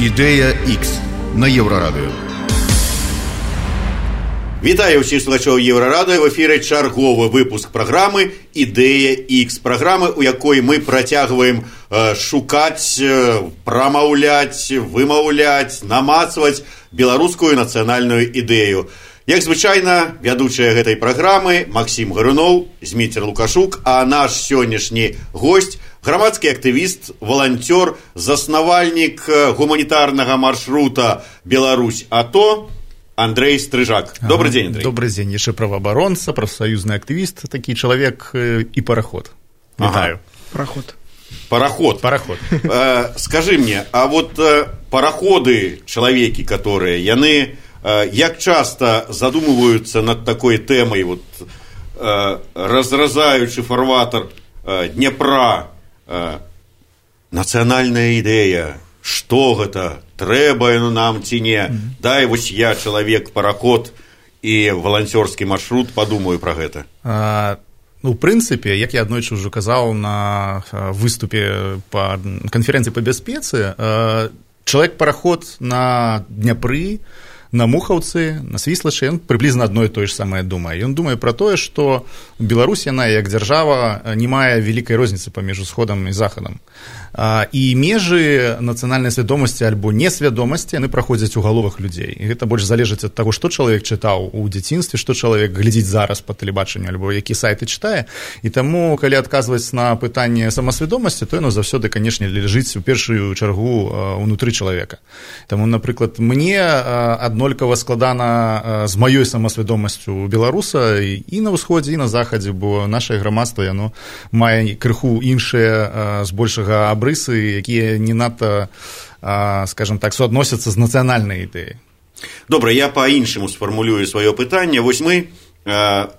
Ідея X на Єврорадіо. Вітаю всіх слухачів Єврорадіо. В ефірі черговий випуск програми «Ідея X». Програми, у якої ми протягуємо шукати, промовляти, вимовляти, намацувати білоруську національну ідею. Як звичайно, ведучий гэтай програми Максим Горюнов, Зміцер Лукашук, а наш сьогоднішній гость – громадський активіст, волонтер, заснувальник гуманітарного маршрута «Беларусь АТО» Андрей Стрижак. Добрый день, Андрей. Добрый день. Еще правооборонца, профсоюзный активист, такий человек и пароход. Вітаю. Пароход. Скажи мне, а вот пароходы, человеки, которые, яны, як часто задумываются над такой темой, вот, разразаючи фарватер Днепра, национальная идея, что гэта, трэба нам ці не, дай вось я чалавек параход і валанцёрскі маршрут падумаю пра гэта. Ну, в прынцыпе, як я аднойчы ўжо казаў на выступе па канферэнцыі па бяспецы, чалавек-параход на Дняпры, на Мухаўцы, на Свіслачы, ён прыблізна адно і тое ж самае думае. Ён думае пра тое, што Беларусь, яна як дзяржава, не мае вялікай розніцы паміж усходам і захадам. І межы нацыянальнай свядомасці альбо несвядомасці, яны праходзяць у галовах людзей. І гэта больш залежыць ад таго, што чалавек чытаў у дзяцінстве, што чалавек глядзіць зараз па тэлебачанню, альбо які сайты чытае. І таму, калі адказваць на пытанне самасвядомасці, то яно заўсёды, канешне, ляжыць у першую чаргу ўнутры чалавека. Таму, напрыклад, мне аднолькава складана з маёй самасвядомасцю беларуса і на ўсходзе, і на захадзе, бо нашае грамадства, яно мае крыху іншыя збольшага абрысы, якія не надта, скажем так, суадносяцца з нацыянальнай ідэяй. Добра, я па-іншаму сфармулюю сваё пытанне. Вось мы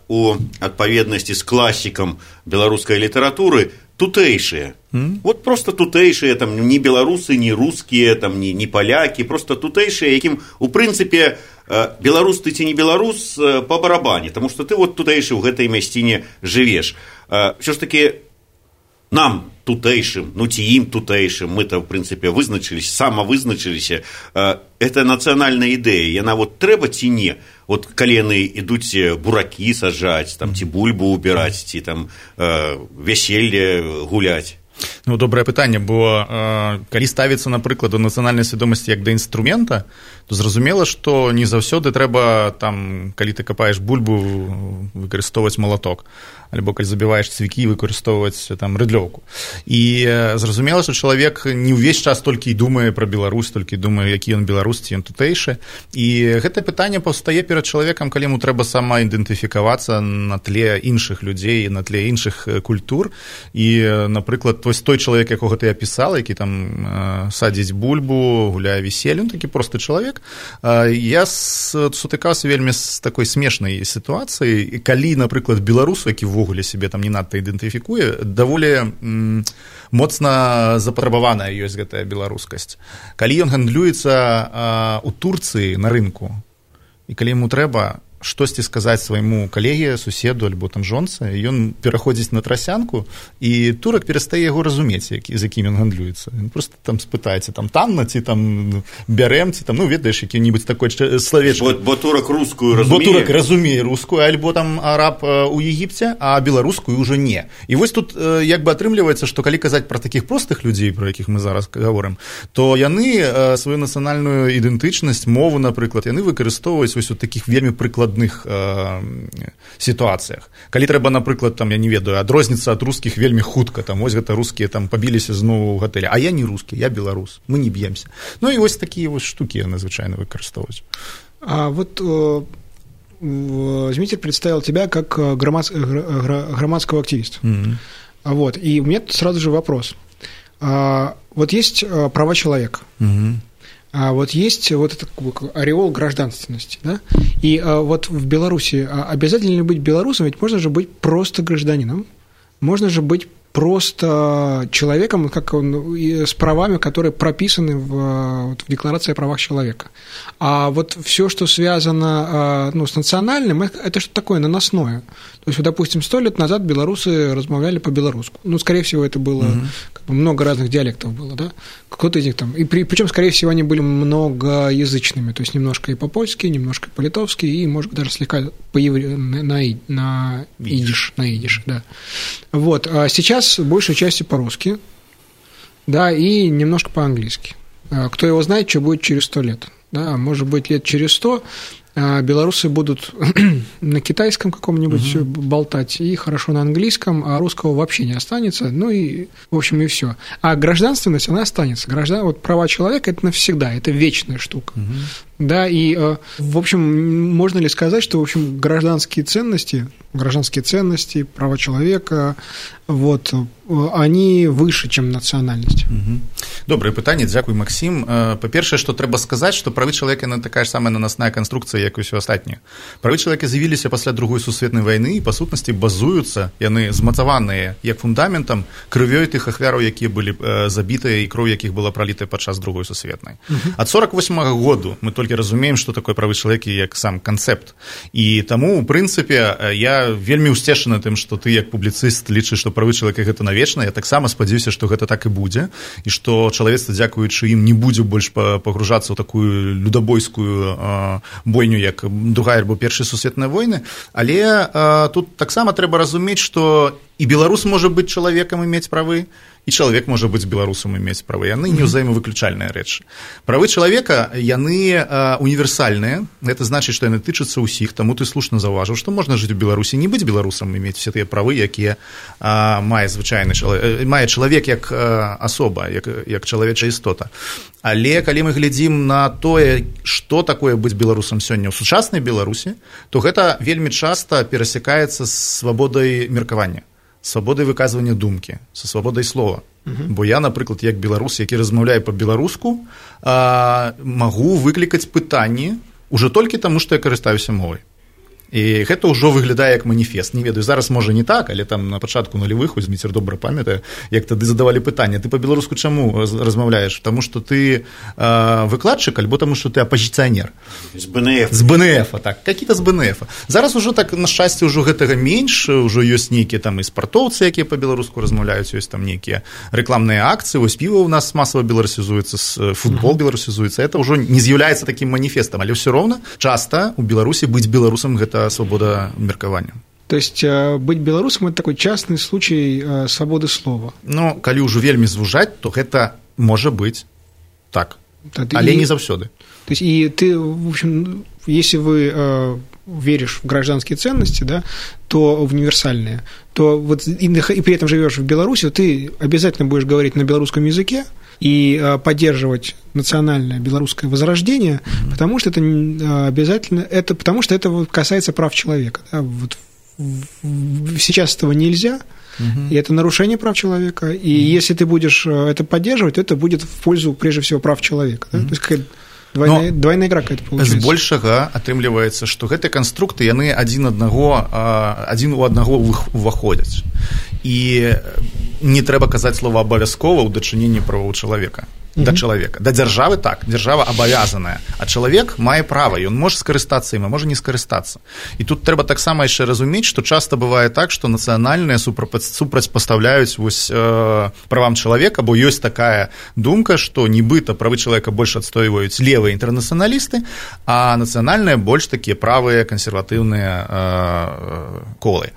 у адпаведнасці з класікам беларускай літаратуры тутэйшыя. Вот просто тутэйшыя, там, не беларусы, не рускія, там, не палякі, просто тутэйшыя, якім, у прынцыпе, беларус ты ці не беларус па барабане, таму што ты вот тутэйшы ў гэтай мясціне жывеш. Всё ж такі нам тутэйшым, ну ці ім тутэйшым, мы-то, в прынцыпе, вызначыліся, самавызначыліся, это нацыянальная ідэя, яна вот трэба ці не, вот калі яны ідуць буракі саджаць, там, ці бульбу убіраць, ці там вяселле гуляць. Ну, добрае пытанне, бо калі ставіцца, напрыклад, да нацыянальнай свядомасці як да інструмента, то зразумела, што не заўсёды трэба, там, калі ты капаеш бульбу, выкарыстоўваць малаток, альбо калі забіваеш цвікі, выкарыстоўваць там рыдлёўку. І зразумела, што чалавек не ўвесь час толькі і думае пра Беларусь, толькі думае, які ён беларус, ці ён тутэйшы. І гэта пытанне паўстае перад чалавекам, калі яму трэба самаідэнтыфікавацца на тле іншых людзей, на тле іншых культур. І, напрыклад, той чалавек, якога ты апісала, які там садзіць бульбу, гуляе веселье, он такі просты чалавек. Я сутыкаўся вельмі з такой смешнай сітуацыяй, калі, напрыклад, беларус, які ввогуле сябе там не надта ідэнтыфікуе, даволі моцна запатрабаваная ёсць гэтая беларускасць. Калі ён гандлюецца у Турцыі на рынку, і калі яму трэба штосьці сказаць свайму калегі, суседу альбо там жонцы, ён пераходзіць на трасянку, і турак перастае яго разумець, з якім ён гандлюецца. Ён просто там спытаецца, там танна, ці там бярэм, ці там, ну, ведаеш, які-нибудь такой словечко. Бо турак рускую разумее. Бо турак разумее рускую, альбо там араб у Егіпце, а беларускую ўжо не. І вось тут як бы атрымліваецца, што калі казаць пра такіх простых людзей, пра якіх мы зараз гаворым, то яны сваю нацыянальную ідэнтычнасць, мову, напрыклад, яны выкарыстоўваюць вось у такіх вельмі прыкладных сітуацыях. Калі трэба, напрыклад, там, я не ведаю, адрозніцца ад рускіх вельмі хутка, там, ось гэта рускія там пабіліся зноў у гатэлі, а я не рускі, я беларус, мы не б'емся. Ну і вось такія вось штукі яны звычайна выкарыстоўваюць. А вот Змитер представил тебя как громадского активиста. Вот, и у меня сразу же вопрос. Вот есть права человека. А вот есть вот этот ореол гражданственности, да? И вот в Беларуси обязательно ли быть белорусом? Ведь можно же быть просто гражданином, можно же быть просто человеком, как он, с правами, которые прописаны в Декларации о правах человека. А вот все, что связано с национальным, это что-то такое наносное. То есть, вот, допустим, 100 лет назад белорусы размовляли по-белорусски. Ну, скорее всего, это было как бы много разных диалектов было, да? Кто-то из них там. И причем, скорее всего, они были многоязычными, то есть немножко и по-польски, немножко и по-литовски, и, может быть, даже слегка на идиш, да. Вот. А сейчас большей частью по-русски, да, и немножко по-английски. Кто его знает, что будет через 100 лет. Да, может быть, лет через 100 белорусы будут на китайском каком-нибудь болтать и хорошо на английском, а русского вообще не останется, ну и, в общем, и все. А гражданственность, она останется. Вот права человека – это навсегда, это вечная штука. Да, и, в общем, можно ли сказать, что, в общем, гражданские ценности, права человека, вот, они выше, чем национальность? Добрае пытанне, дзякуй, Максим. Па-першае, што трэба сказаць, што правы чалавека – такая ж самая наносная канструкцыя, як і ўсё астатняе. Правы чалавека з'явіліся пасля Другой сусветнай вайны і, па сутнасці, базуюцца, яны змацаваныя як фундаментам крывёй тых ахвяраў, якія былі забітыя і кроў якіх была пралітая падчас Другой сусветнай. Ад 48-го году мы толькі разумеем, што такое правы чалавека як сам канцэпт. І таму, у прынцыпе, я вельмі ўсцешаны тым, што ты як публіцыст лічыш, што правы чалавека гэта навечна. Я таксама спадзяюся, што гэта так і будзе, і што чалавецтва, дзякуючы ім, не будзе больш пагружацца ў такую людабойскую бойню, як Другая альбо Першая сусветная войны. Але тут таксама трэба разумець, што і беларус можа быць чалавекам і мець правы, і чалавек можа быць беларусам і мець правы. Яны не ўзаемавыключальныя рэчы. Правы чалавека, яны універсальныя. Гэта значыць, што яны тычацца ўсіх. Таму ты слушна заўважыў, што можна жыць у Беларусі, не быць беларусам і мець все тыя правы, якія мае звычайны чалавек, мае чалавек як асоба, як чалавечая істота. Але калі мы глядзім на тое, што такое быць беларусам сёння ў сучаснай Беларусі, то гэта вельмі часта перасякаецца з свабодай меркавання, свабодай выказвання думкі, са свабодай слова. Бо я, напрыклад, як беларус, які размаўляе па-беларуску, магу выклікаць пытанні ўжо толькі таму, што я карыстаюся мовай. І гэта ўжо выглядае як маніфест. Не ведаю, зараз можа не так, але там на пачатку нулявых, вось Зміцер добра памятае, як тады задавалі пытанне: ты па-беларуску чаму размаўляеш? Таму што ты выкладчык, альбо таму што ты апазіцыянер. З БНФ. З БНФ, так, какие-то з БНФ. Зараз ужо так, на шчасце, ўжо гэтага менш, ужо ёсць нейкія там і спартоўцы, якія па-беларуску размаўляюць, ёсць там нейкія рэкламныя акцыі, вось піва ў нас масава беларусізуецца, футбол беларусізуецца. Это ўжо не з'яўляецца такім маніфестам, але ўсё роўна часта у Беларусі быць беларусам гэта свобода меркавання. То есть быть белорусом – это такой частный случай свободы слова. Ну, калі ўжо вельмі звужаць, то гэта можа быць так, але не заўсёды. То есть и ты, в общем, если вы веришь в гражданские ценности, да, то универсальные, то вот и при этом живешь в Беларуси, то ты обязательно будешь говорить на белорусском языке и поддерживать национальное белорусское возрождение, потому что это обязательно, потому что это касается прав человека. Да, вот сейчас этого нельзя, и это нарушение прав человека, и если ты будешь это поддерживать, то это будет в пользу, прежде всего, прав человека. Да? То есть какая-то двойная игра какая-то получается. Збольшага атрымліваецца, што гэтыя канструкты, яны адзін у аднаго ўваходзяць. І не трэба казаць слова абавязкова ў дачыненні правоў чалавека. Да чалавека. Да дзяржавы так, дзяржава абавязаная, а чалавек мае права, ён можа скарыстацца ім, а можа не скарыстацца. І тут трэба таксама яшчэ разумець, што часта бывае так, што нацыянальныя супрацьпастаўляюць вось правам чалавека, бо ёсць такая думка, што нібыта правы чалавека больш адстойваюць левыя інтэрнацыяналісты, а нацыянальныя больш такія правыя кансерватыўныя колы.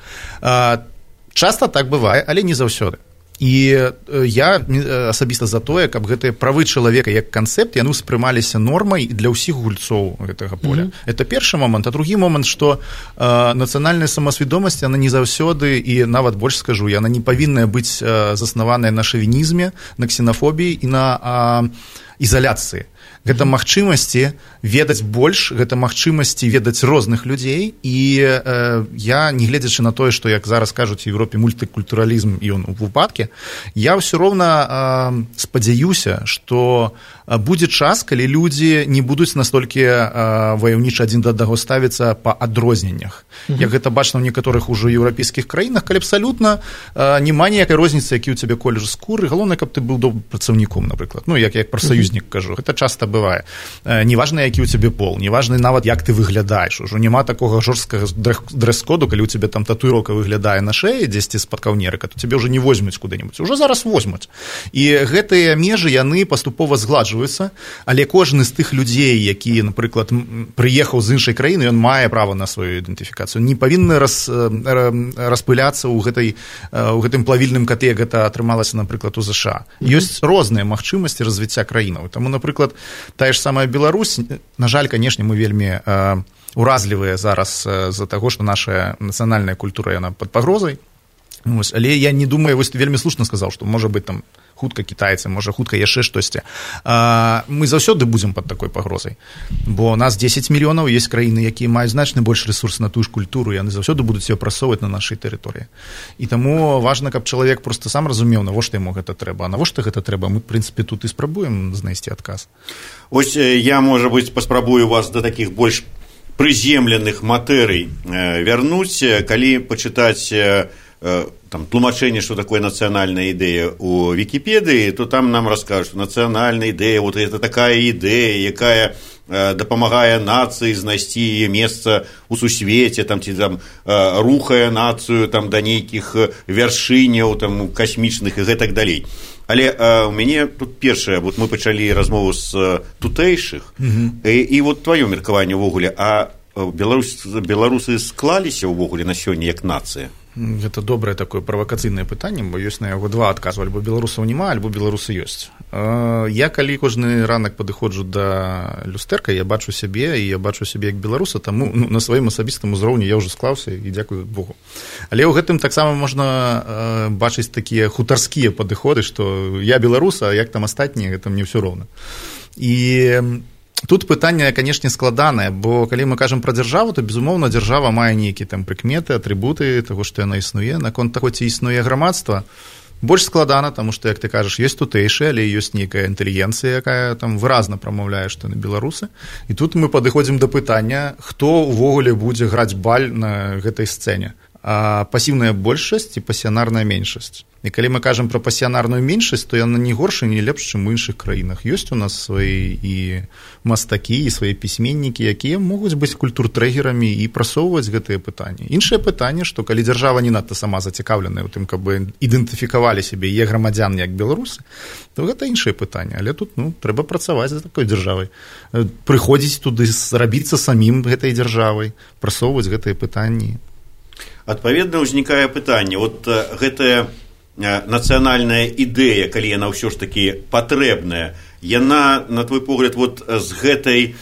Часта так бывае, але не заўсёды. І я асабіста за тое, каб гэтыя правы чалавека як канцэпт, яны ўспрымаліся нормай для ўсіх гульцоў гэтага поля. Это першы момант. А другі момант, што нацыянальная самасвядомасць, яна не заўсёды, і нават больш скажу, яна не павінная быць заснаваная на шавінізме, на ксенафобіі і на ізаляцыі. Гэта магчымасці ведаць больш, гэта магчымасці ведаць розных людзей, і я, не гледзячы на тое, што, як зараз кажуць у Еўропе, мультыкультуралізм, і ён у выпадке, я ўсё роўна спадзяюся, што будзе час, калі людзі не будуць настолькі ваяўніча адзін да аднаго ставіцца па адрозненнях. Як гэта бачна ў некаторых ужо еўрапейскіх краінах, калі абсалютна няма ніякай розніцы, які ў цябе колер скуры, галоўнае, каб ты быў добрым працаўніком, напрыклад. Ну, як прафсаюзе саюзнік, кажу, гэта часта бывае. Неважна, які ў цябе пол, неважна нават, як ты выглядаеш. Ужо няма такога жорсткага дрэс-коду, калі ў цябе там татуіроўка выглядае на шэі, дзесьці з-пад каўнерыка, то цябе ўжо не возьмуць куды-небудзь. Ужо зараз возьмуць. І гэтыя межы, яны паступова згладжваюцца, але кожны з тых людзей, які, напрыклад, прыехаў з іншай краіны, ён мае права на сваю ідэнтыфікацыю. Не павінны распыляцца ў гэтым плавільным катле, як гэта атрымалася, напрыклад, у ЗША. Ёсць розныя магчымасці развіцця краінаў. Таму, напрыклад, тая ж самая Беларусь, на жаль, канешне, мы вельмі уразлівыя зараз з-за таго, што наша нацыянальная культура, яна пад пагрозай. Але я не думаю, вось вельмі слушна сказаў, што можа быць там хутка кітайцы, можа хутка яшчэ штосьці. Мы заўсёды будзем пад такой пагрозай, бо у нас 10 мільёнаў, ёсць краіны, якія маюць значна больш рэсурс на тую ж культуру, яны заўсёды будуць её прасоўваць на нашай тэрыторыі. І таму важна, каб чалавек проста сам разумеў, навошта яму гэта трэба. А навошта гэта трэба? Мы, в прынцыпе, тут і спрабуем знайсці адказ. Ось я, можа быць, паспрабую вас да такіх больш прыземленых матэрый вярнуць, калі пачытаць там, тлумачэнне, што такое нацыянальная ідэя у Вікіпедыі, то там нам раскажуць, што нацыянальная ідэя, вот это такая ідэя, якая дапамагае нацыі знайсці яе месца ў сусвеце, там, ці там рухае нацыю там, да нейкіх вяршыняў там, касмічных і гэтак далей. Але у мяне тут першае, вот мы пачалі размову з тутэйшых, і вот тваё меркаванне ўвогуле, а беларусы склаліся ўвогуле на сёння як нацыя? Гэта добрае такое правакацыйнае пытанне, бо ёсць на яго два адказу: альбо беларусаў няма, альбо беларусы ёсць. Я калі кожны ранак падыходжу да люстэрка, я бачу сябе, і я бачу сябе як беларуса, таму на сваім асабістым узроўні я ўжо склаўся, і дзякую Богу. Але ў гэтым таксама можна бачыць такія хутарскія падыходы, што я беларус, а як там астатнія, гэта мне ўсё роўна. І тут пытанне, канешне, складанае, бо калі мы кажам пра дзяржаву, то, безумоўна, дзяржава мае нейкія там прыкметы, атрыбуты таго, што яна існуе. Наконт таго, ці існуе грамадства, больш складана, таму што, як ты кажаш, ёсць тутэйшыя, але ёсць нейкая інтэлігенцыя, якая там выразна прамаўляе, што яны беларусы. І тут мы падыходзім да пытання, хто ўвогуле будзе граць баль на гэтай сцэне. Пасіўная большасць і пасіянарная меншасць. І калі мы кажам пра пасіянарную меншасць, то яна не горшая, не лепш, чым у іншых краінах. Ёсць у нас свае і мастакі, і свае пісьменнікі, якія могуць быць культуртрэгерамі і прасоўваць гэтыя пытанні. Іншае пытанне, што калі дзяржава не надта сама зацікаўленая ў тым, каб ідэнтыфікавалі сябе яе грамадзян як беларусы, то гэта іншае пытанне. Але тут трэба працаваць за такой дзяржавай. Прыходзіць туды, рабіцца самім гэтай дзяржавай, прасоўваць гэтыя пытанні. Адпаведна, ўзнікае пытанне. Вот гэтая нацыянальная ідэя, калі яна ўсё ж такі патрэбная, яна, на твой погляд, вот з гэтай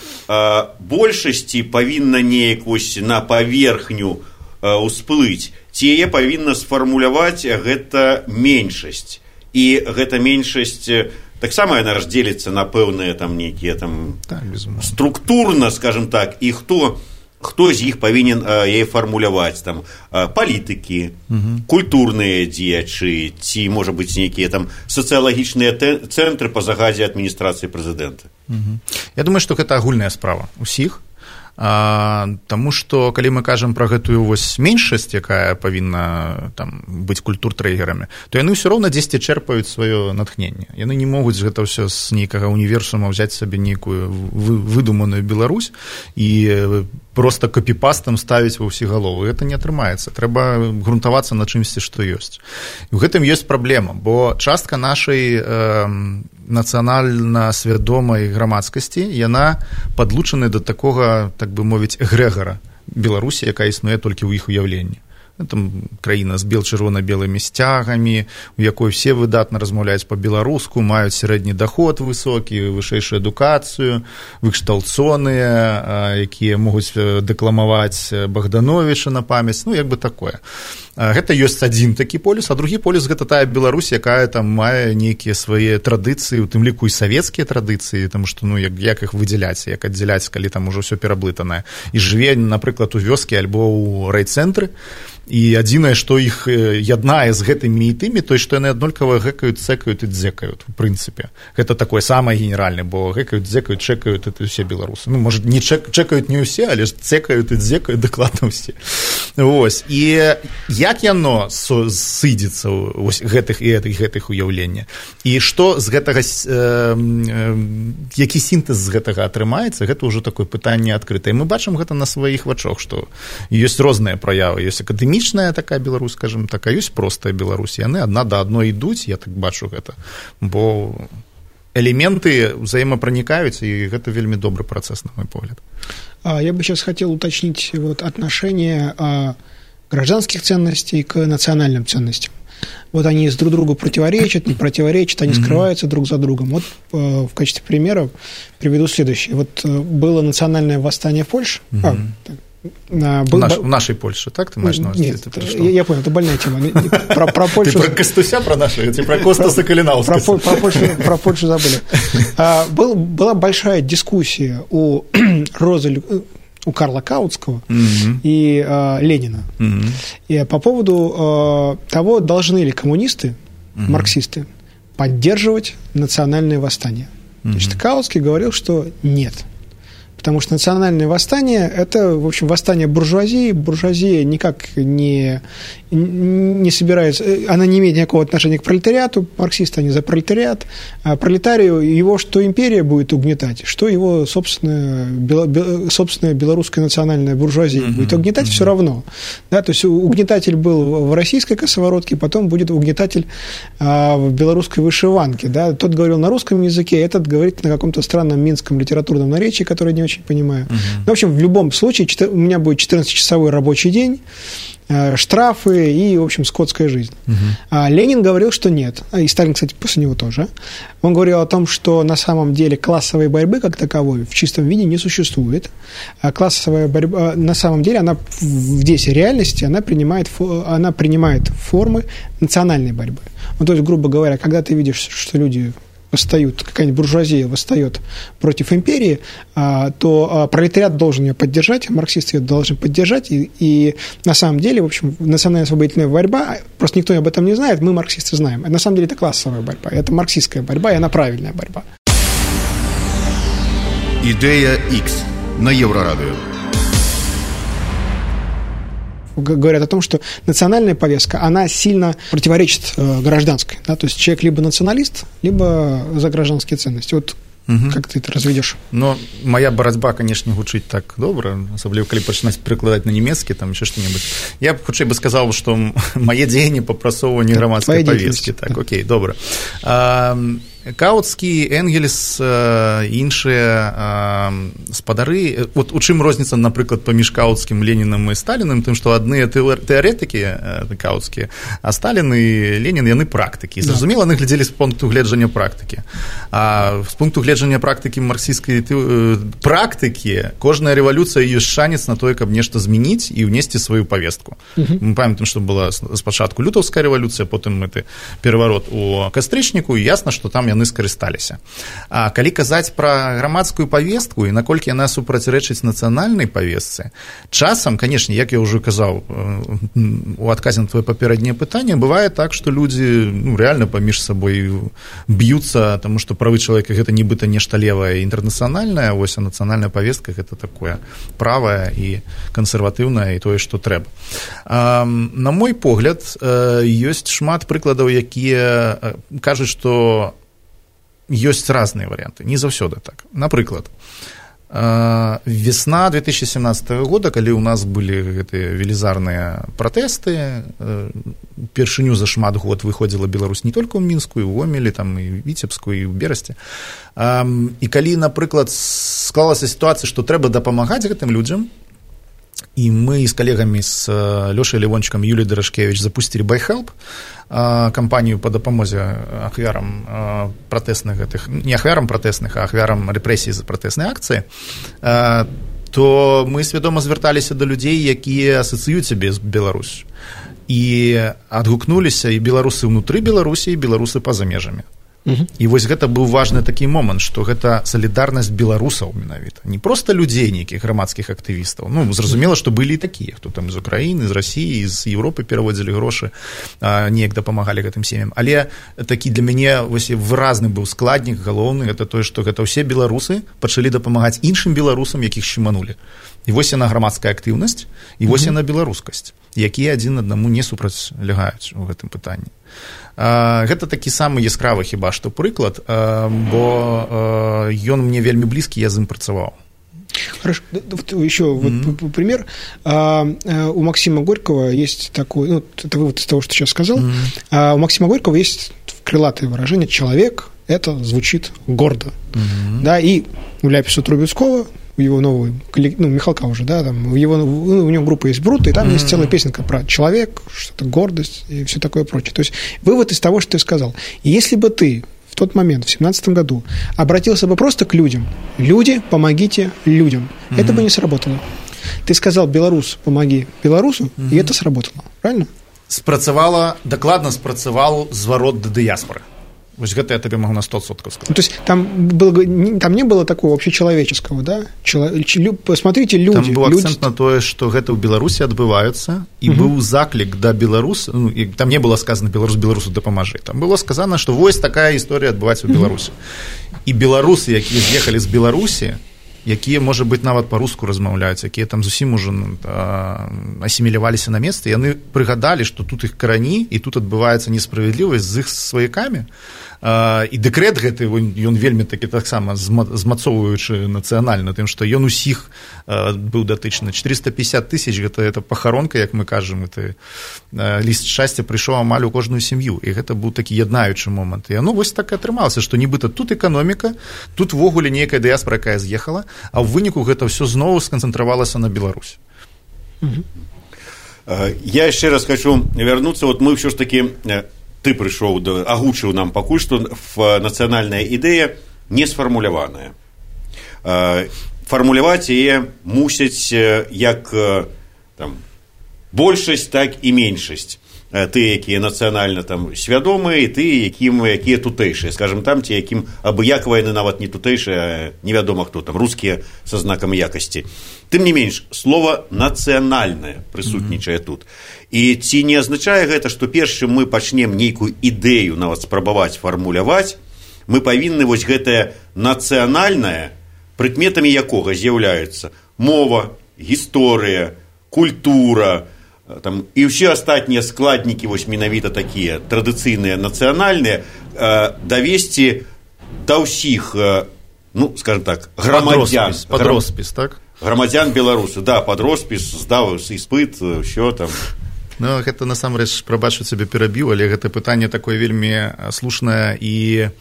большасці павінна неяк вось на паверхню ўсплыць, ці яе павінна сфармуляваць гэта меншасць. І гэта меншасць таксама яна раздзеліцца на пэўныя там нейкія там структурна, скажем так, і хто з іх павінен яе фармуляваць, там, палітыкі, культурныя дзеячы, ці, можа быць, нейкія там сацыялагічныя цэнтры па загадзе адміністрацыі прэзідэнта. Я думаю, што гэта агульная справа ўсіх, таму што, калі мы кажам пра гэтую вось меншасць, якая павінна там быць культуртрэгерамі, то яны ўсё роўна дзесьці чэрпаюць сваё натхненне. Яны не могуць гэта ўсё з нейкага універсума ўзяць сабе нейкую выдуманую Беларусь і проста копіпастам ставіць ва ўсе галовы. Гэта не атрымаецца. Трэба грунтавацца на чымсьці, што ёсць. І ў гэтым ёсць праблема, бо частка нашай нацыянальна свядомай грамадскасці, яна падлучана да такога, так бы мовіць, эгрэгара Беларусі, якая існуе толькі ў іх уяўленні. Там краіна з чырвона-белымі сцягамі, у якой все выдатна размаўляюць па-беларуску, маюць сярэдні даход высокі, вышэйшую адукацыю, выкшталцоныя, якія могуць дэкламаваць Богдановича на памяць, як бы такое. Гэта ёсць адзін такі полюс, а другі полюс гэта тая Беларусь, якая там мае нейкія свае традыцыі, у тым ліку і савецкія традыцыі, таму што як іх выдзяляць, як аддзяляць, калі там ужо ўсё пераблытанае. І жыве, напрыклад, у вёскі альбо ў райцэнтры, і адзінае, што іх яднае з гэтымі і тымі, то што яны аднолькава гэкаюць, цэкаюць і дзекаюць, у прынцыпе. Гэта такое самае генеральнае, бо гэкаюць, дзекаюць, чэкаюць, это ўсе беларусы. Можа, не чэкаюць не ўсе, але ж цэкаюць і дзекаюць дакладна ўсе. Вось. І як яно сыдзецца вось гэтых уяўлення? І што з гэтага, які сінтэз з гэтага атрымаецца, гэта ўжо такое пытанне адкрытае. Мы бачым гэта на сваіх вачах, што ёсць розныя праявы. Ёсць акадэмічная такая Беларусь, скажем так, а ёсць простая Беларусь. Яны адна да адной ідуць, я так бачу гэта. Бо элементы взаимопроникаются, и это вельми добрый процесс, на мой взгляд. Я бы сейчас хотел уточнить вот отношение гражданских ценностей к национальным ценностям. Вот они друг другу противоречат, не противоречат, они скрываются друг за другом. Вот в качестве примера приведу следующее. Вот было национальное восстание в Польше. В нашей Польше, так ты маешь на увазі? Нет, я понял, это больная тема. Про Польшу... Ты про Костуся, про нашу, ты про Костаса Калинаускаса. Про Польшу забыли. Была большая дискуссия у Карла Каутского и Ленина и по поводу того, должны ли коммунисты, марксисты, поддерживать национальное восстание. Значит, Каутский говорил, что нет. Потому что национальное восстание – это, в общем, восстание буржуазии. Буржуазия никак не собирается, она не имеет никакого отношения к пролетариату. Марксисты, они за пролетариат. А пролетарию его что империя будет угнетать, что его собственная белорусская национальная буржуазия будет угнетать, все равно. Да, то есть угнетатель был в российской косоворотке, потом будет угнетатель в белорусской вышиванке. Да. Тот говорил на русском языке, этот говорит на каком-то странном минском литературном наречии, которое не очень понимаю. В общем, в любом случае, у меня будет 14-часовой рабочий день, штрафы и, в общем, скотская жизнь. А Ленин говорил, что нет. И Сталин, кстати, после него тоже. Он говорил о том, что на самом деле классовой борьбы как таковой в чистом виде не существует. А классовая борьба, на самом деле, она здесь в реальности, она принимает формы национальной борьбы. Ну, то есть, грубо говоря, когда ты видишь, что люди... какая-нибудь буржуазия восстает против империи, то пролетариат должен ее поддержать, марксисты ее должны поддержать, и на самом деле, в общем, национальная освободительная борьба, просто никто об этом не знает, мы, марксисты, знаем. На самом деле это классовая борьба, это марксистская борьба, и она правильная борьба. Идея X на Еврорадио. Говорят о том, что национальная повестка, она сильно противоречит гражданской. Да? То есть человек либо националист, либо за гражданские ценности. Вот как ты это разведешь? Ну, моя борьба, конечно, гучыць так добра, асабліва калі пачынаць перакладаць на нямецкі, там еще что-нибудь. Я хутчэй бы сказал, что мае дзеянні па прасоўванні грамадскай повесткі. Так, окей, добра. Каутскі, Энгельс, іншыя спадары, вот у чым розніца, напрыклад, паміж Каутскім, Ленінам і Сталіным, тым, што адны тэарэтыкі каутскія, а Сталін і Ленін, яны практыкі. Зразумела, яны глядзелі з пункту гледжання практыкі. А з пункту гледжання практыкі марксісцкай практыкі, кожная рэвалюцыя ёсць шанец на тое, каб нешта змяніць і ўнесці сваю павестку. Мы памятаем, што была спачатку лютаўская рэвалюцыя, потым гэты пераварот у кастрычніку, і ясна, што там яны скарысталіся. А калі казаць пра грамадскую павестку і наколькі яна супрацьрэчыць нацыянальнай павестцы, часам, канешне, як я ўжо казаў у адказе на твоё папярэдняе пытанне, бывае так, што людзі рэальна паміж сабой б'юцца, таму што правы чалавека гэта нібыта нешта левае і інтэрнацыянальнае, вось, а нацыянальная павестка гэта такое правае і кансерватыўнае і тое, што трэба. На мой погляд, ёсць шмат прыкладаў, якія кажуць, што ёсць разныя варыянты, не заўсёды так. Напрыклад, весна 2017 года, калі ў нас былі гэтыя велізарныя пратэсты, першыню за шмат год выходзіла Беларусь не толькі ў Мінску, і ў Гомелі, там, і ў Віцебску, і ў Берасці. І калі, напрыклад, склалася сітуацыя, што трэба дапамагаць гэтым людзям, і мы з калегамі, з Лёшай Левончыкам і Юліяй Дарашкевіч запусцілі BuyHelp, кампанію па дапамозе ахвярам пратэсных гэтых, не ахвярам пратэсных, а ахвярам рэпрэсій за пратэсныя акцыі, то мы свядома звярталіся да людзей, якія асацыююць сябе з Беларусю. І адгукнуліся і беларусы ўнутры Беларусі, і беларусы па-за межамі. І вось гэта быў важны такі момант, што гэта салідарнасць беларусаў менавіта, не проста людзей нейкіх грамадскіх актывістаў. Ну, зразумела, што былі і такія, хто там з Украіны, з Расіі, з Еўропы пераводзілі грошы, неяк дапамагалі гэтым сем'ям. Але такі для мяне вось выразны быў складнік галоўны, гэта тое, што гэта ўсе беларусы пачалі дапамагаць іншым беларусам, якіх шчыманулі. І вось яна грамадская актыўнасць, і вось яна беларускасць, якія адзін аднаму не супрацьлягаюць у гэтым пытанні. Гэта такі самы яскравы хіба што прыклад, бо ён мне вельмі блізкі, я з ім працаваў. Хорошо, еще вот пример. У Максима Горького есть такой, ну, это вывод из того, что сейчас сказал. У Максима Горького есть крылатое выражение «человек» – это звучит гордо. Да, и у Ляписа Трубецкого, у его нового, ну, Михалка уже, да, там, у него группа есть «Брут», и там есть целая песенка про человек, что-то гордость и все такое прочее. То есть вывод из того, что ты сказал. И если бы ты в тот момент, в 2017 году, обратился бы просто к людям, люди, помогите людям, это бы не сработало. Ты сказал «белорус, помоги белорусу», и это сработало, правильно? Спрацавала, дакладна спрацаваў зварот да дыяспоры. Вось гэта я табе магу на 100% сказаць. Ну, то есть там не было такого общечеловеческого, да? Посмотрите, люди. Там быў акцэнт на тое, што гэта ў Беларусі адбываюцца, і быў заклік да беларуса, ну, і там не было сказано беларусу дапамажы. Там было сказано, што вось такая гісторыя адбываецца ў Беларусі. І беларусы, якія з'ехалі з Беларусі, якія, можа быць, нават па-руску размаўляюць, якія там зусім ужо асіміляваліся на месцы, яны прыгадалі, што тут іх карані, і тут адбываецца несправядлівасць з іх сваякамі. І дэкрэт гэты, ён вельмі такі таксама змацоўваючы нацыянальна, тым, што ён усіх быў датычны. 450 000 гэта пахаронка, як мы кажам, это ліст шчасця прыйшоў амаль у кожную сям'ю, і гэта быў такі яднаючы момант. І вось так і атрымалася, што нібыта тут эканоміка, тут ввогуле нейкая дыяспора, якая з'ехала, а ў выніку гэта ўсё зноў сканцэнтравалася на Беларусь. Я яшчэ раз хочу вярнуцца, вот мы ўсё ж такі, ты прыйшоў, агучыў нам пакуль што нацыянальная ідэя не сфармуляваная. Фармуляваць яе мусяць як там большасць, так і меншасць. Тыя, якія нацыянальна там свядомыя, і тыя, якія тутэйшыя, скажем, там ці якім абыякава яны нават не тутэйшыя, невядома хто там, рускія са знакам якасці. Тым не менш, слова нацыянальнае прысутнічае тут. І ці не азначае гэта, што перш чым мы пачнем нейкую ідэю нават спрабаваць фармуляваць, мы павінны вось гэтае нацыянальнае, прыкметамі якога з'яўляюцца мова, гісторыя, культура, там, і ўсе астатнія складнікі вось менавіта такія традыцыйныя нацыянальныя давесці да ўсіх, ну, скажем так, грамадзян пад роспіс, так? Грамадзян беларусу, да, пад роспіс, здаў іспыт, ўсё там. Ну, гэта насамрэч, прабачу цябе перабіў, але гэта пытанне такое вельмі слушнае і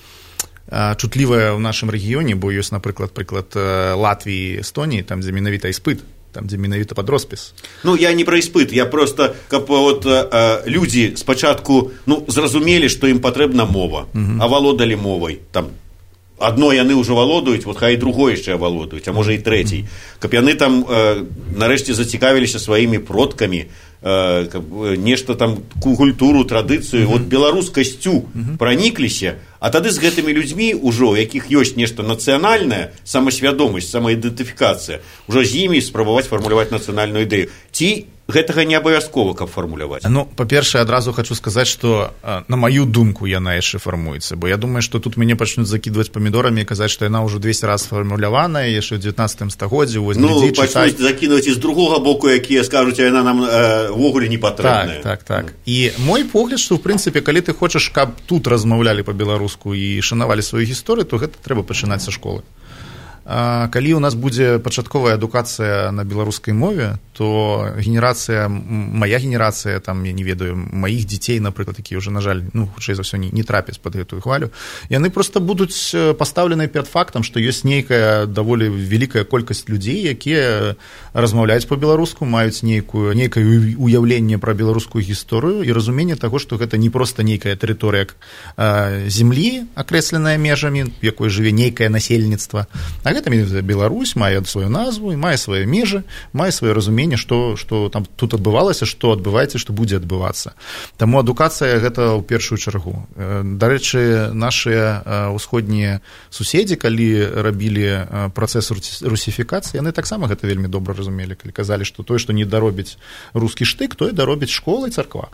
чутлівае ў нашым рэгіёне, бо ёсць, напрыклад, прыклад Латвіі, Эстоніі, там, дзе менавіта іспыт, там, дзе менавіта пад роспіс. Ну, я не пра іспыт, я проста, каб вот людзі спачатку, ну, зразумелі, што ім патрэбна мова, авалодалі мовай, там, адно яны ўжо валодаюць, вот хай другое яшчэ авалодаюць, а можа і трэцяй. Каб яны там нарэшце зацікавіліся сваімі продкамі, нешта там, культуру, традыцыю, вот беларускасцю пранікліся, а тады з гэтымі людзьмі ўжо, у якіх ёсць нешта нацыянальнае, самасвядомасць, самаідэнтыфікацыя, ўжо з імі спрабаваць фармуляваць нацыянальную ідэю. Ці гэтага не абавязкова, каб фармуляваць? Ну, па-першае, адразу хочу сказаць, што на маю думку яна яшчэ фармуецца, бо я думаю, што тут мяне пачнуць закідваць памідорамі і казаць, што яна ўжо 200 раз фармуляваная яшчэ ў 19 стагоддзі. Ну, пачнуць закінуць і з другога боку, якія скажуць, а яна нам увогуле не патрэбная. Так. І мой погляд, што, в прынцыпе, калі ты хочаш, каб тут размаўлялі па-беларуску і шанавалі сваю гісторыю, то гэта трэба пачынаць са школы. Калі у нас будзе пачатковая адукацыя на беларускай мове, то моя генерацыя, там, я не ведаю, маіх дзяцей, напрыклад, якія ўжо, на жаль, ну, хутчэй за ўсё не трапяць пад гэтую хвалю, яны проста будуць пастаўленыя перад фактам, што ёсць нейкая даволі вялікая колькасць людзей, якія размаўляюць па-беларуску, маюць нейкае уяўленне пра беларускую гісторыю і разуменне таго, што гэта не проста нейкая тэрыторыя зямлі, акрэсленая межамі, в якой жыве нейкае насельніцтва, а гэта Беларусь мае сваю назву і мае свае межы, мае сваё разуменне разуменне, што там тут адбывалася, што адбываецца, што будзе адбывацца. Таму адукацыя гэта ў першую чаргу. Дарэчы, нашыя ўсходнія суседзі, калі рабілі працэс русіфікацыі, яны таксама гэта вельмі добра разумелі, калі казалі, што тое, што не даробіць рускі штык, тое даробіць школа і царква.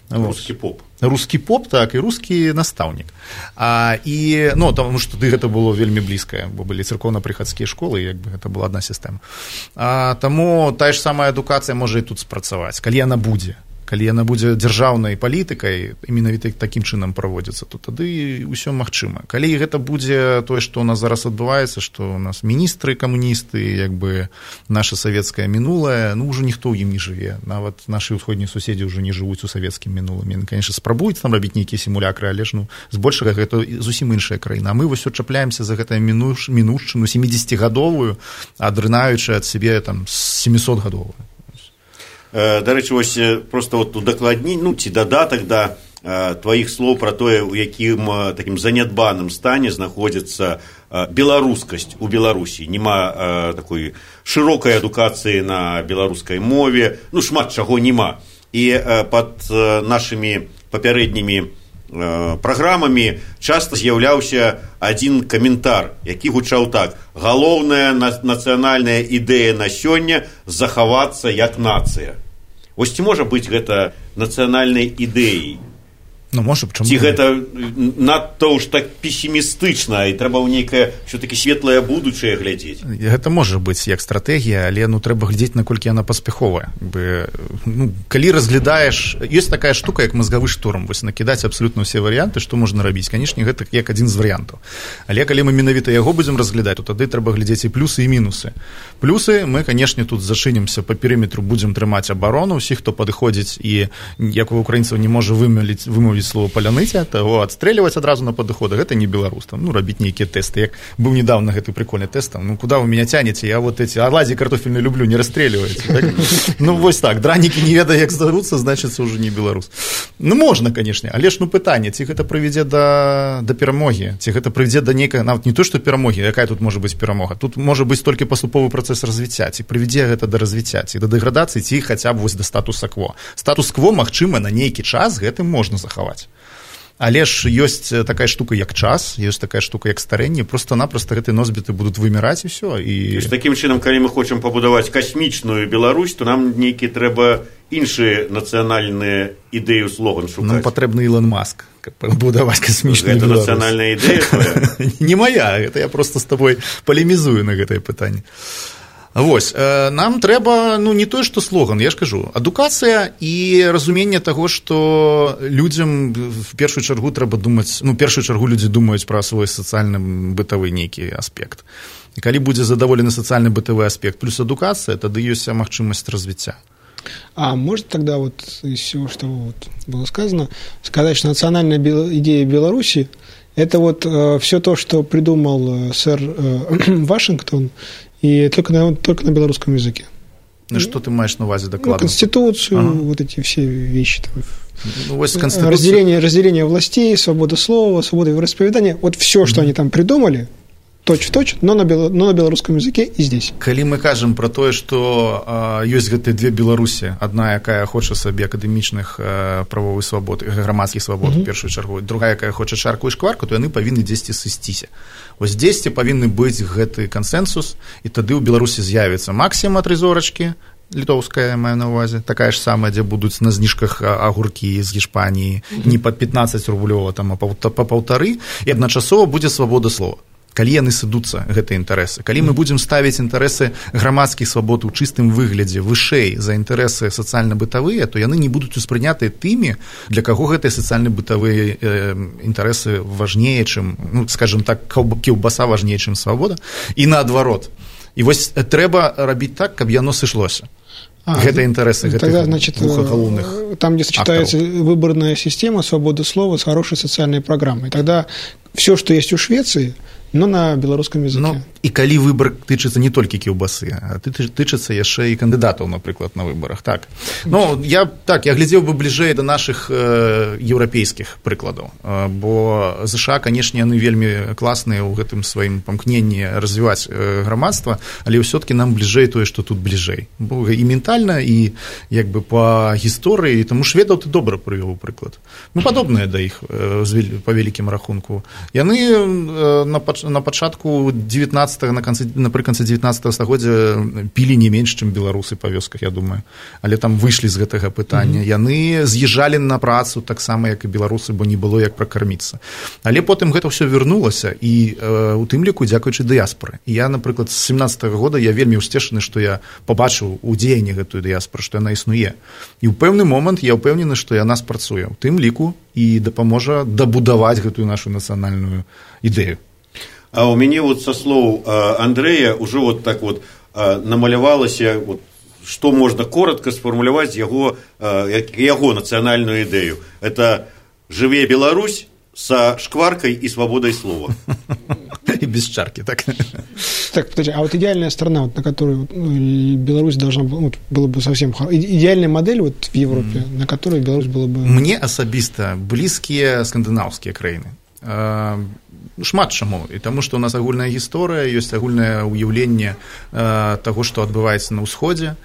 Рускі поп. Рускі поп, так, і рускі настаўнік. Таму што гэта было вельмі блізкае, бо былі царкоўна-прыхадскія школы, як бы гэта была адна сістэма. Таму тая ж самая адукацыя можа і тут спрацаваць, калі яна будзе дзяржаўнай палітыкай, і менавіта такім чынам праводзіцца, то тады ўсё магчыма. Калі гэта будзе тое, што ў нас зараз адбываецца, што ў нас міністры камуністы, як бы наша савецкае мінулае, ўжо ніхто ў ім не жыве. Нават нашы ўсходнія суседзі ўжо не жывуць у савецкім мінулым. Яны, канешне, спрабуюць там рабіць нейкія сімулякры, але ж збольшага гэта зусім іншая краіна. А мы вось чапляемся за гэтую мінушчыну 70-гадовую, адрынаючы ад сябе там 700-гадовую. Дарэчы, вось проста удакладніць, ці дадатак да тваіх слоў пра тое, у якім такім занядбаным стане знаходзіцца беларускасць у Беларусі. Нема такой шырокай адукацыі на беларускай мове, шмат чаго нема. І пад нашымі папярэднімі праграмамі часта з'яўляўся адзін каментар, які гучаў так: галоўная нацыянальная ідэя на сёння захавацца як нацыя. Вось ці можа быць гэта нацыянальнай ідэяй? Можа, чаму? Ці гэта надта ўж так песімістычна, і трэба ў нейкае ўсё-такі светлае будучае глядзець? Гэта можа быць як стратэгія, але трэба глядзець, наколькі яна паспяховая. Калі разглядаеш, ёсць такая штука, як мазгавы шторм, вось накідаць абсалютна ўсе варыянты, што можна рабіць. Канешне, гэта як адзін з варыянтаў. Але калі мы менавіта яго будзем разглядаць, то тады трэба глядзець і плюсы, і мінусы. Плюсы мы, канешне, тут зачынімся па перыметру, будзем трымаць абарону, усіх, хто падыходзіць і, як у украінцаў, не можа вымовіць слово паляныця, таго адстрэльваць адразу на падыходах, гэта не беларус. Рабіць нейкія тэсты. Як быў недавно гэты прикольны тэст, куда вы меня тянете, я вот эти оладьи картофельные люблю, не расстреливайте. Так? Вось так, дранікі не ведае, як здаруцца, значыцца уже не беларус. Можна, канешне, але ж пытанне, ці гэта прывядзе да перамогі, ці гэта прывядзе да нейкай, нават не то, што перамогі, якая тут можа быць перамога, тут можа быць толькі паступовы працэс развіцця, ці прывядзе гэта да развіцця, ці да дэградацыі, ці хаця б вось да статуса-кво. Статус-кво, магчыма, на нейкі час гэтым можна захаваць. Але ж ёсць такая штука, як час, ёсць такая штука, як старэнне, просто-напросто гэтыя носьбіты будуць выміраць, і ўсё. Такім чынам, калі мы хочам пабудаваць касмічную Беларусь, то нам нейкі трэба іншыя нацыянальныя ідэю слоган шукаць. Патрэбны Ілон Маск, каб пабудаваць касмічную Беларусь. Гэта нацыянальная ідэя твоя? Не моя, гэта я просто з табой палемізую на гэтае пытанне. Вось, нам трэба, не тое, што слоган, я ж кажу, адукацыя і разуменне таго, што людзям в першую чаргу трэба думаць, першую чаргу людзі думаюць пра свой сацыяльна-бытавы нейкі аспект. І калі будзе задаволены сацыяльна-бытавы аспект плюс адукацыя, тады ёсць магчымасць развіцця. А может тогда из всего, что было сказано, сказать, что национальная идея Беларуси – это все то, что придумал сэр Вашингтон, и только на белорусском языке. Что ты маешь на увазе докладно? Конституцию, эти все вещи. Разделение властей, свобода слова, свобода вероисповедания. Все, что они там придумали, точь-в-точь, но на белорусском языке и здесь. Калі мы кажам пра тое, што ёсць гэтыя две Беларусі, адна, якая хоча сабе акадэмічных правовых свабод, грамадскіх свабод у першую чаргу, другая, якая хоча чарку і шкварку, то яны павінны дзесьці сысціся. Вось дзесьці павінны быць гэты кансэнсус, і тады ў Беларусі з'явіцца максіма 3 зорачкі, літоўская, маю на увазе, такая ж самая, дзе будуць на зніжках агуркі з Гішпаніі, не па 15 рублёва, а па 1,5, і адначасова будзе свабода слова. Калі яны сыдуцца, гэтыя інтарэсы, калі мы будзем ставіць інтарэсы грамадскіх свабод у чыстым выглядзе вышэй за інтарэсы сацыяльна-бытавыя, то яны не будуць успрынятыя тымі, для каго гэтыя сацыяльна-бытавыя інтарэсы важнее, чым, скажем так, кілбаса важнее, чым свабода, і наадварот. І вось трэба рабіць так, каб яно сышлося. Гэта інтарэсы гэтых двух галоўных. Там, где сочетается выборная система, свобода слова с хорошей социальной программой. Тогда все, что есть у Швеции, но на белорусском языке. І калі выбар тычыцца не толькі кілбасы, а тычыцца яшчэ і кандыдатаў, напрыклад, на выбарах. Так. Ну, я глядзеў бы бліжэй да нашых еўрапейскіх прыкладаў, бо ЗША, канешне, яны вельмі класныя ў гэтым сваім памкненні развіваць грамадства, але ўсё-такі нам бліжэй тое, што тут бліжэй. Бо і ментальна, і як бы па гісторыі, таму шведаў ты добра прывёў прыклад. Мы падобныя да іх па вялікім рахунку. Яны на пачатку 19 напрыканцы 19 стагоддзя пілі не менш, чым беларусы па вёсках, я думаю, але там выйшлі з гэтага пытання. Яны з'язджалі на працу таксама, як і беларусы, бо не было як пракарміцца. Але потым гэта ўсё вярнулася, і у тым ліку дзякуючы дыяспоры. І я, напрыклад, з 17-го года я вельмі ўсцешаны, што я пабачыў у дзеянні гэтую дыяспору, што яна існуе. І ў пэўны момант я ўпэўнены, што яна спрацуе. У тым ліку і дапаможа дабудаваць гэтую нашу нацыянальную ідэю. А у мяне вот со слоў Андрэя ўжо вот так вот намалявалася, вот, што можна коротко сфармуляваць яго нацыянальную ідэю. Это «Жыве Беларусь» со шкваркой и свободой слова. И без чарки, так? Так, подожди, а вот идеальная страна, вот, на которую Беларусь должна была, было бы совсем... Идеальная модель вот в Европе, на которой Беларусь была бы... Мне асабіста блізкія скандынаўскія краіны. Шмат чаму, і таму што ў нас агульная гісторыя, ёсць агульнае ўяўленне таго, што адбываецца на ўсходзе,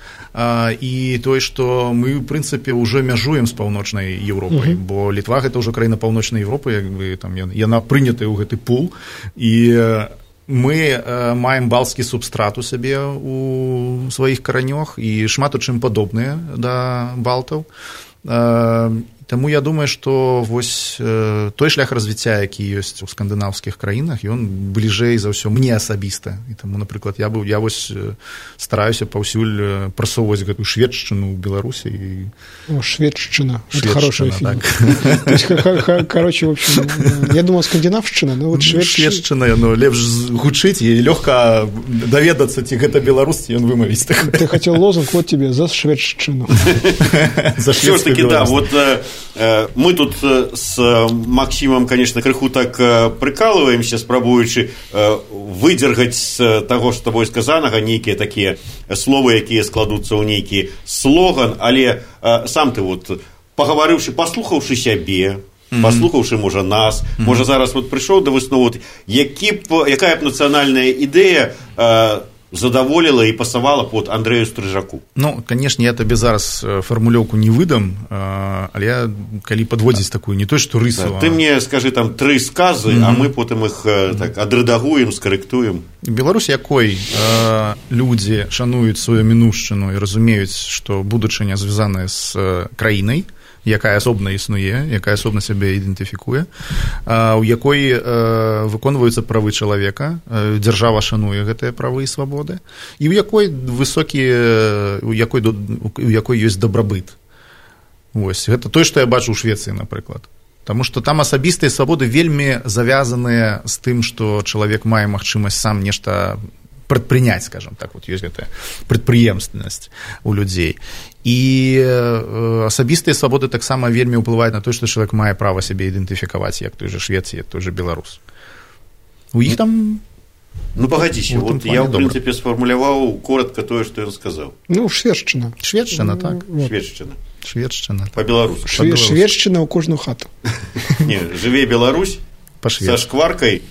і тое, што мы, в прынцыпе, ўжо мяжуем з паўночнай Еўропай, бо Літва гэта ўжо краіна паўночнай Еўропы, як бы там яна прынятая ў гэты пул, і мы маем балцкі субстрат у сабе у сваіх каранёх і шмат у чым падобныя да балтаў. Таму я думаю, што вось той шлях развіцця, які ёсць у скандынаўскіх краінах, ён бліжэй за ўсё мне асабіста. І таму, напрыклад, я вось стараюся паўсюль прасоўваць гэтую шведшчыну ў Беларусі. Шведшчына. Это хорошая фигня. То есть, короче, в общем, я думал, скандинавшчына, но вот шведшчына, яно лепш гучыць і лёгка даведацца, ці гэта беларус, ці ён вымавіць. Ты хотел лозунг, вот тебе, за шведшчыну. За шведскую беларус. Да, вот мы тут с Максимом, конечно, крыху так прикалываемся, спрабуючы выдзергаць з таго, што тобой сказанага, нейкія такія словы, якія складуцца ў нейкі слоган, але сам ты вот, пагаварыўшы, паслухаўшы сябе, паслухаўшы, можа, нас, можа, зараз вот прыйшоў да высновы, якая б нацыянальная ідэя задаволіла і пасавала под Андрэю Стрыжаку? Ну, канешне, я табе зараз фармулёўку не выдам, але калі падводзіць такую, не то, што рысу. Ты мне скажы там 3 сказы, а мы потым іх так адрэдагуем, скарэктуем. Беларусь, якой людзі шануюць сваю мінушчыну і разумеюць, што будучыня звязаная з краінай, якая асобна існуе, якая асобна сябе ідэнтыфікуе, у якой выконваюцца правы чалавека, дзяржава шануе гэтыя правы і свабоды, і у якой ёсць дабрабыт. Вось, гэта тое, што я бачу ў Швецыі, напрыклад. Таму што там асабістыя свабоды вельмі завязаныя з тым, што чалавек мае магчымасць сам нешта прадпрыняць, скажем так, вот ёсць гэтая прадпрыемственнасць у людзей. І асабістыя свабоды таксама вельмі ўплываюць на то, што чалавек мае права сябе ідэнтыфікаваць, як той же швед, як той же беларус. У іх там... Ну, погодзіся, вот я, в прынцыпе, сфармуляваў коротко тое, што ён сказаў. Ну, шведшчына. Шведшчына, так. Шведшчына. Па-беларуску. Шведшчына ў кожную хату. Не, жыве Беларусь са шкваркай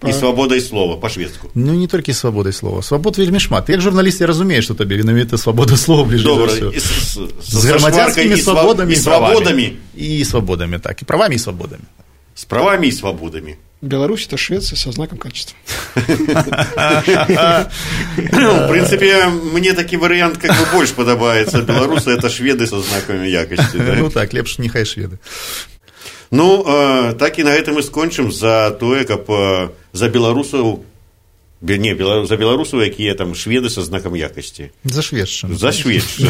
і свабодай слова, па-шведску. Ну, не толькі свабодай слова. Свабод вельмі шмат. Як журналіст я разумею, што табе менавіта свабода слова бліжэй за ўсё. З грамадзянскімі свабодамі і правамі. І свабодамі, так. І правамі і свабодамі. З правамі і свабодамі. Беларусь – это Швеция со знаком качества. В принципе, мне такі варыянт как бы больш падабаецца. Беларусы – это шведы со знакамі якасці. Ну так, лепш нехай шведы. Ну, так і на гэтым мы скончым за тое, каб за беларусаў, не, за беларусаў, якія там шведы са знакам якасці. За шведшчыну. За шведшчыну.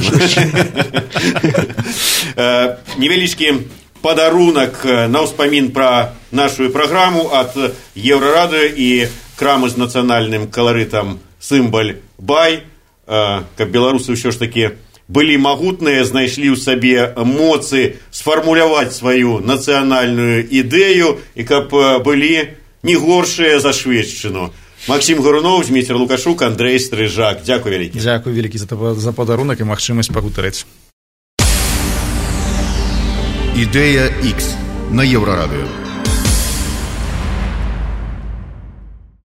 Невялічкі падарунак на ўспамін пра нашу праграму ад Еўрарадыё і крамы з нацыянальным каларытам «Сымбаль Бай», каб беларусы ўсё ж такі былі магутныя, знайшлі ў сабе моцы сфармуляваць сваю нацыянальную ідэю і каб былі не горшыя за шведшчыну. Максим Горунов, Дмітрий Лукашук, Андрей Стрижак. Дякую вялікі. Дякую вялікі за падарунак і магчымасць пагутарыць. Ідэя X на Еўрарадыё.